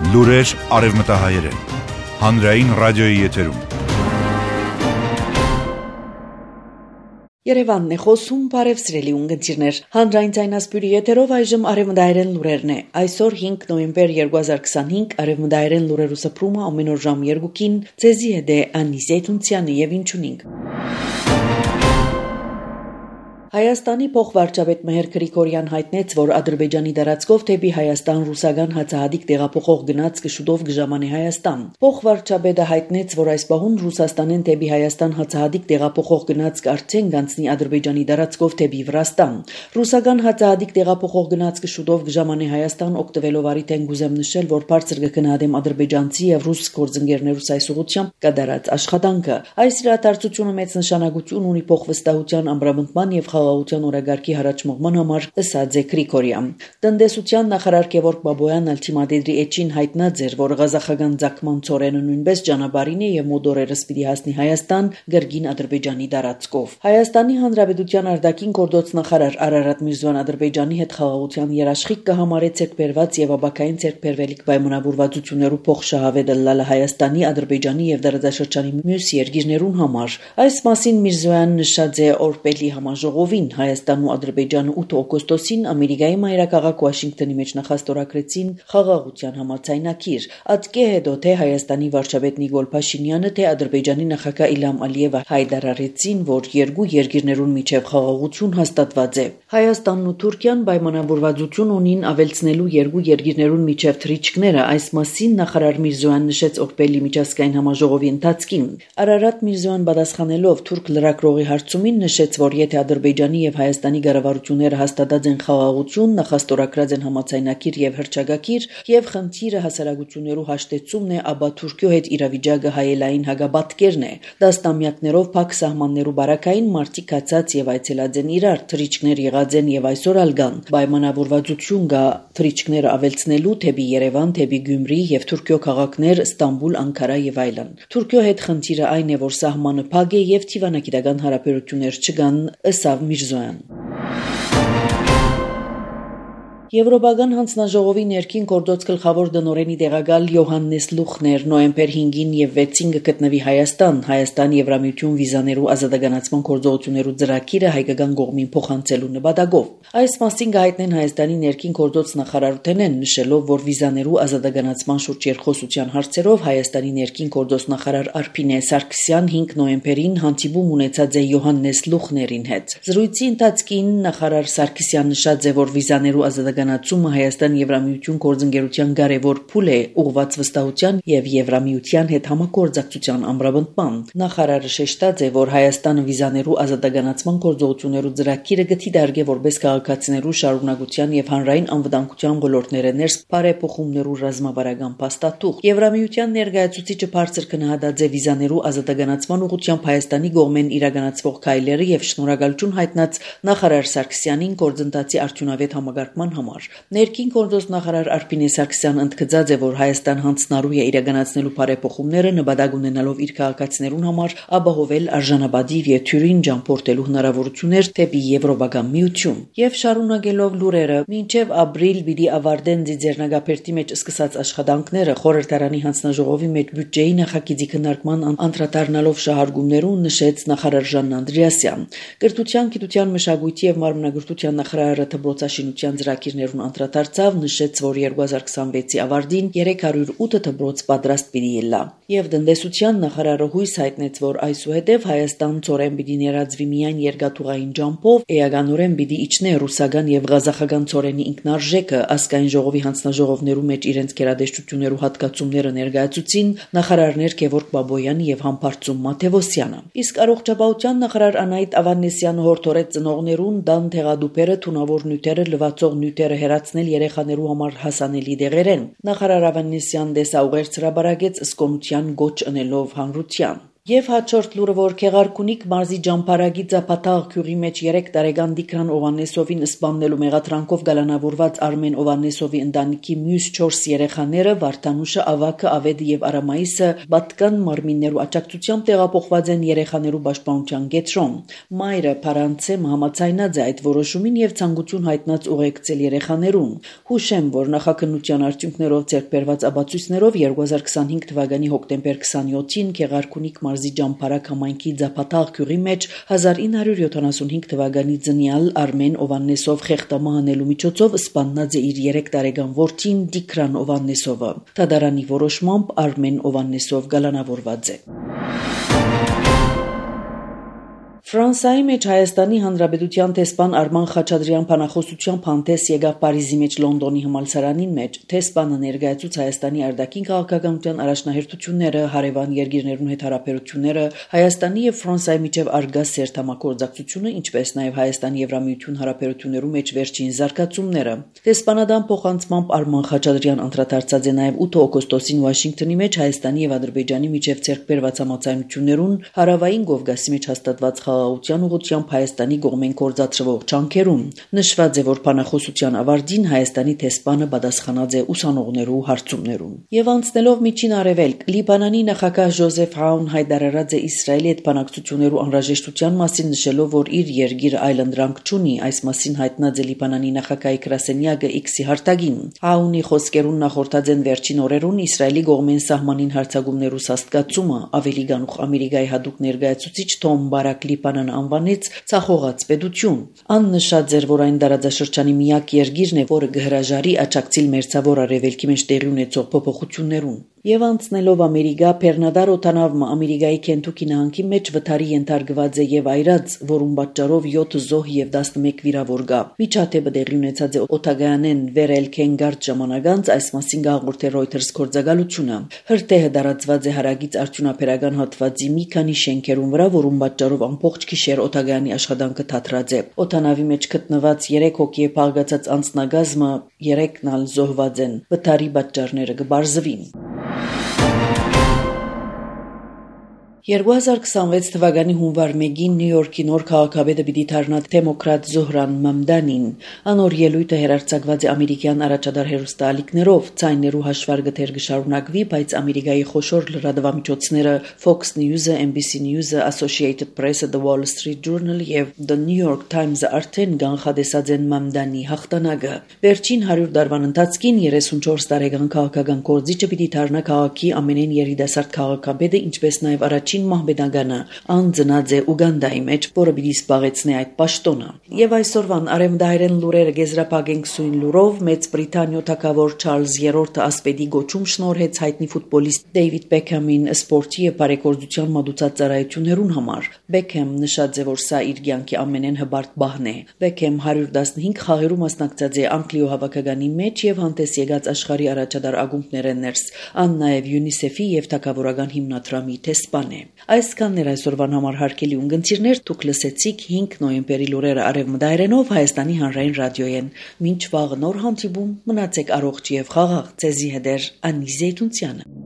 Լուրեր արևմտահայերեն, հանրային ռադիոյի եթերում։ Երևանն է խոսում, բարև սիրելի ունգընտիրներ, հանրային ձայնասպյուրի եթերով այժմ արևմտահայերեն լուրերն է։ Այսօր 5 նոյեմբեր 2025 արևմտահայերեն լուրերու սփռումը ամեն օր ժամ 2-ին ձեզի հետ է Աննի Զեյթունցյանը եւ ինչունինք։ Հայաստանի փոխվարչապետ Մեհեր Գրիգորյան հայտնեց, որ Ադրբեջանի դարածքով դեպի Հայաստան ռուսական հացահատիկ տեղափոխող գնացքը շուտով կժամանի Հայաստան։ Փոխվարչապետը հայտնեց, որ այս պահուն Ռուսաստանեն դեպի Հայաստան հացահատիկ տեղափոխող գնացքը արդեն կանցնի Ադրբեջանի դարածքով դեպի Վրաստան։ Ռուսական հացահատիկ տեղափոխող գնացքը շուտով կժամանի Հայաստան, օգտվելով առիթեն գուզեմ նշել, որ բարձր կգնահատեմ ադրբեջանցի եւ ռուս գործընկերներուս այս ուղղությամբ կատարած աշխատանքը։ Այս իրադարձությունը մեծ նշանակություն ունի փոխվստահության ամրապնդման եւ խաղաղության օրագարկի հարաճմողման համար, ըստ Գրիգորյան։ Տնտեսության նախարար Գևորգ Բաբոյանն ալտիմադեդրի էջին հայտնած էր, որ ղազախական ցակման ծորենը նույնպես ճանապարհին է եւ մոդորերս պիտի հասնի Հայաստան գերգին Ադրբեջանի դարածքով։ Հայաստանի Հանրապետության արտաքին գործ նախարար Արարատ Միրզոյան Ադրբեջանի հետ խաղաղության երաշխիք կհամարե ցերկբերված եւ աբակային ցերկբերվելիք պայմանավորվածություններու փոխշահավետ լալը Հայաստանի, Ադրբեջանի եւ դարաշրջանի մյուս երկիրներուն համար։ Այս մասին Միրզոյանն նշած է օրպելի համաժողովին Հայաստանն ու Ադրբեջանը 8 օգոստոսին Ամերիկայի մայրաքաղաք Վաշինգտոնի մեջ նախաստորագրեցին խաղաղության համաձայնագիր։ Ատկե հետո թե Հայաստանի վարչապետ Նիկոլ Փաշինյանը, թե Ադրբեջանի նախագահ Իլհամ Ալիևը հայտարարեցին, որ երկու երկիրներուն միջև խաղաղություն հաստատված է։ Հայաստանն ու Թուրքիան պայմանավորվածություն ունին ավելցնելու երկու երկիրներուն միջև թռիչքները, այս մասին նախարար Միրզոյան նշեց օրպելի միջազգային համաժողովի ընթացքին։ Արարատ Միրզոյան պատասխանելով թուրք լրագրողի հարցումին նշեց, որ եթե Ադրբեջանի եւ Հայաստանի կառավարությունները հաստատած են խաղաղություն, նախաստորագրած են համաձայնագիր եւ հռչակագիր եւ խնդիրը հասարակություններու հաշտեցումն է, ապա Թուրքիո հետ իրավիճակը հայելային հագաբատկերն է։ Դաստամյակներով փակ սահմաններու բարակային մարտիկ հացած եւ այցելած են իրար, թռիչքներ եղած են եւ այսօր ալգան։ Պայմանավորվածություն կա թռիչքները ավելցնելու թեպի Երևան, թեպի Գյումրի եւ Թուրքիո քաղաքներ Ստամբուլ, Անկարա եւ այլն։ Թուրքիո հետ խնդիրը այն է, որ սահմանը փակ է եւ թիվանագիտական հարաբերություններ չկան, ըստ Միրզոյան։ Եվրոպական հանձնաժողովի ներքին գործոց գլխավոր դնորենի տեղակալ Յոհաննես Լուխներ նոյեմբեր 5-ին եւ 6-ին կգտնվի Հայաստան Եվրամիություն վիզաներու ազատականացման գործողություններու ծրագիրը հայկական կողմին փոխանցելու նպատակով։ Այս մասին կհայտնեն Հայաստանի ներքին գործոց նախարարութենեն, նշելով, որ վիզաներու ազատականացման շուրջ երկխոսության հարցերով Հայաստանի ներքին գործոց նախարար Արփինե Սարգսյան 5 նոյեմբերին հանդիպում ունեցած է Յոհաննես Լուխներին հետ։ Զրույցի ընթացքին նախարար Սարգսյան նշած է, որ վիզաներու ազատականացումը Հայաստան Եվրամիություն գործընկերության կարևոր փուլ է ուղղված վստահության եւ Եվրամիության հետ համագործակցության ամրապնդման։ Նախարարը շեշտած է, որ Հայաստանը վիզաներու ազատականացման գործողություններու ծրագիրը գտիդարգե որպես քաղաքացիներու շարունակության եւ հանրային անվտանգության ոլորտները ներս բարեփոխումներու ռազմավարական փաստաթուղթ։ Եվրամիության ներկայացուցիչը բարձր գնահատած է վիզաներու ազատականացման ուղղությամբ Հայաստանի կողմեն իրականացվող քայլերը եւ շնորհակալություն հայտնած նախարար Սարգսյանին գործընթացի արդյունավետ համագարկման համար։ Ներքին գործոց նախարար Արփինե Սարգսյանն ընդգծած է, որ Հայաստան հանձնարարու է իրականացնելու բարեփոխումները նպատակ ունենալով իր քաղաքացիներուն համար ապահովել արժանապատիվ եւ թյուրին ճամփորդելու հնարավորություններ դեպի Եվրոպական միություն։ Եվ շարունակելով լուրերը, մինչև ապրիլ պիտի ավարտեն ձեռնարկապերտի մեջ սկսած աշխատանքները խորհրդարանի հանձնաժողովի մեջ բյուջեի նախագծի քննարկման անդրադառնալով շահարկումներուն նշեց նախարար Ժանն Անդրեասյան։ Կրթության, գիտության, մշակույթի եւ մարմնագրթության նախարարը դպրոցաշինության ծրագիրներուն անդրադարձավ, նշեց, որ 2026-ի ավարտին 308 դպրոց պատրաստ պիտի ելա։ Եվ տնտեսության նախարարը հույս հայտնեց, որ այսուհետև Հայաստան ծորեն պիտի ներածվի միայն երկաթուղային ջամփով, էականորեն պիտի իջնե ռուսական եւ ղազախական ծորենի ինքնարժեքը, ազգային ժողովի հանձնաժողովներու մեջ իրենց գերադեշտություններու հատկացումները ներկայացուցին նախարարներ Գևորգ Բաբոյանը եւ Համբարձում Մաթեվոսյանը։ Իսկ առողջապահության նախարար Անահիտ Ավանեսյանը հորդորեց ծնողներուն դան թեղադուպերը թունավոր նյութերը լվացող նյութերը հեռացնել երեխաներու համար հասանելի դեղերեն։ Նախարար Ավանեսյան դեսաուղերձ հրաբարակեց ըսկոնության գոչ ընելով հանրության։ Եվ հաջորդ լուրը, որ Քեղարքունիք մարզի Ջամփարագի Ձապատաղ գյուղի մեջ 3 տարեկան Դիկրան Օվանեսովին սպաննելու մեղադրանքով գալանավորված Արմեն Օվանեսովի ընտանիքի մյուս 4 երեխաները Վարդանուշը, Ավակը, Ավեդը եւ Արամայիսը պատկան մարմիններու աջակցությամբ տեղափոխված են երեխաներու պաշտպանության կենտրոն։ Մայրը Փարանցե համաձայնած է այդ որոշումին եւ ցանկություն հայտնած ուղեկցել երեխաներուն։ Հուշեմ, որ նախաքննության արդյունքներով ձեռքբերված ապացույցներով 2025 թվականի հոկտեմբեր 27-ին Քեղարքունիք մարզի Ջամփարակ համայնքի Ձապատաղ գյուղի մեջ 1975 թվականի ծնյալ Արմեն Օվանեսով խեղտամահ անելու միջոցով սպաննած է իր 3 տարեկան որդին Դիկրան Օվանեսովը։ Դատարանի որոշմամբ Արմեն Օվանեսով գալանավորված է։ Ֆրանսիայի մեջ Հայաստանի Հանրապետության տեսփան Արման Խաչատրյան փանախոսությամբ հանդես եկավ Փարիզի մեջ Լոնդոնի համալսարանին մեջ։ Տեսփանը ներկայացուց Հայաստանի արտաքին քաղաքականության առաջնահերթությունները, հարևան երկիրներուն հետ հարաբերությունները, Հայաստանի եւ Ֆրանսիայի միջև արգա սերտ համագործակցությունը, ինչպես նաեւ Հայաստանի Եվրամիություն հարաբերություններու մեջ վերջին զարգացումները։ Տեսփանադան փոխանցմամբ Արման Խաչատրյան անդրադարձած է նաեւ 8 օգոստոսին Վաշինգտոնի մեջ Հայաստանի եւ Ադրբեջանի միջև ձեռքբերված համաձայնություններուն, հարավային Կովկասի մեջ հաստատված խաղաղության ուղղությամբ Հայաստանի կողմեն գործադրվող ջանքերուն։ Նշված է, որ փանախոսության ավարտին Հայաստանի տեսփանը պատասխանած է ուսանողներու հարցումներուն։ Եվ անցնելով միջին արևելք, Լիբանանի նախագահ Ջոզեֆ Աուն հայտարարած է Իսրայելի հետ բանակցություններու անհրաժեշտության մասին, նշելով, որ իր երկիրը այլընտրանք չունի։ Այս մասին հայտնած է Լիբանանի նախագահի գրասենյակը X-ի հարտագին։ Աունի խոսքերուն նախորդած են վերջին օրերուն Իսրայելի կողմեն սահմանին հարձակումներու սաստկացումը, ավելի գանուխ Ամերիկայի հատուկ ներկայացուցիչ Թոմ Բարակ Լիբանան անվանեց ցախողած պետություն։ Ան նշած էր, որ այն դարաձաշրջանի միակ երկիրն է, որը կհրաժարի աջակցել մերձավոր արևելքի մեջ տեղի ունեցող փոփոխություններուն։ Եվ անցնելով Ամերիկա, Փեռնադար օտանավը Ամերիկայի Քենթուքի նահանգի մեջ վթարի ենթարկված է եւ այրած, որում պատճառով 7 զոհ եւ 11 վիրավոր կա։ Միջադեպը տեղի ունեցած է օտագայանեն վերել Քենգարդ ժամանակ անց, այս մասին գաղորդել Reuters գործակալությունը։ Հրթեհը դարածված է հարագից արդյունաբերական հատվածի մի քանի շենքերուն վրա, որում պատճառով ամբողջ գիշեր օտագայանի աշխատանքը թատրած է։ Օտանավի մեջ գտնված 3 հոգի է փաղկացած անձնագազմը, 3-ն ալ զոհված են։ Վթարի պատճառները կբարձվին։ 2026 թվականի հունվար 1-ին Նյու Յորքի նոր քաղաքապետը պիտի դառնա դեմոկրատ Զոհրան Մամդանին։ Անոր ելույթը հերարցակված է ամերիկյան առաջադար հեռուստաալիքներով, ցայներու հաշվարկը թեր կշարունակվի, բայց Ամերիկայի խոշոր լրատվամիջոցները Fox News-ը, NBC News-ը, Associated Press-ը, The Wall Street Journal եւ The New York Times-ը արդեն կանխատեսած են Մամդանի հաղթանակը։ Վերջին 100 տարվան ընթացքին 34 տարեկան քաղաքական կորձիչը պիտի դառնա քաղաքի ամենեն երիտասարդ քաղաքապետը, ինչպես նաեւ առաջին մահմեդագանը անձնած է Ուգանդայի մեջ, որը պիտի զբաղեցնի այդ պաշտոնը։ Եվ այսօրվան արևմտահայերեն լուրերը գեզրափակենք սույն լուրով Մեծ Բրիտանիա թագավոր Չարլզ III ասպետի գոչում շնորհեց հայտնի ֆուտբոլիստ Դեյվիդ Բեքհամին սպորտի եւ բարեգործության մատուցած ծառայություններուն համար։ Բեքհեմ նշած է, որ սա իր կյանքի ամենեն հբարտ բահն է։ Բեքհեմ 115 խաղերու մասնակցած է Անգլիո հավաքականի մեջ եւ հանդես եկած աշխարհի առաջադար ակումբները ներս, ան նաեւ UNICEF-ի եւ թագավորական հիմնադրամի տեսփան է։ Այսքանն էր այսօրվան համար հարգելի ունգընտիրներ, դուք լսեցիք 5 նոյեմբերի լուրերը արևմտայերենով Հայաստանի հանրային ռադիոյեն։ Մինչ վաղ նոր հանդիպում, մնացեք առողջ եւ խաղաղ, ձեզի հետ է Անի Զեյթունցյանը։